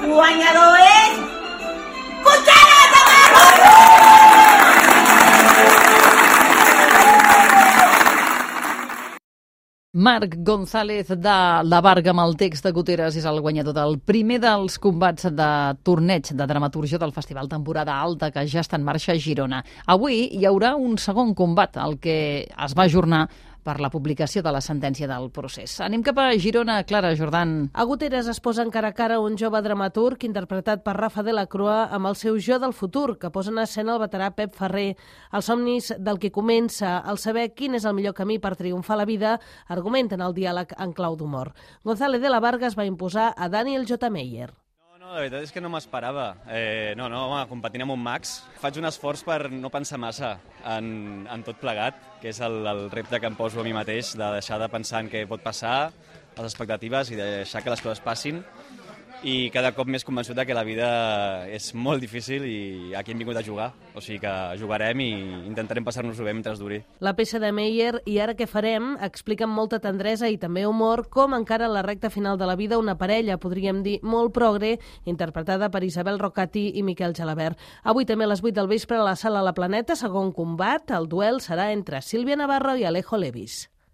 guanyador és... Cuchara de Barro! Marc González de la Varga amb el text de Guteres és el guanyador del primer dels combats de torneig de dramatúrgia del Festival Temporada Alta que ja està en marxa a Girona. Avui hi haurà un segon combat, el que es va ajornar per la publicació de la sentència del procés. Anem cap a Girona, Clara Jordan. A Guteres es posa encara a cara un jove dramaturg interpretat per Rafa de la Crua amb el seu jo del futur, que posa en escena el veterà Pep Ferrer. Els somnis del que comença, el saber quin és el millor camí per triomfar a la vida, argumenten el diàleg en clau d'humor. González de la Varga es va imposar a Daniel J. Meyer. La veritat és que no m'esperava. Home, competint amb un Max, faig un esforç per no pensar massa en tot plegat, que és el repte que em poso a mi mateix, de deixar de pensar en què pot passar, les expectatives, i deixar que les coses passin. I cada cop més convençut que la vida és molt difícil i aquí hem vingut a jugar. O sigui que jugarem i intentarem passar-nos-ho bé mentre duri. La peça de Meyer, I ara què farem?, explica amb molta tendresa i també humor com encara en la recta final de la vida una parella, podríem dir molt progre, interpretada per Isabel Rocati i Miquel Gelabert. Avui també a les 8 del vespre a la Sala La Planeta, segon combat, el duel serà entre Sílvia Navarro i Alejo Levis.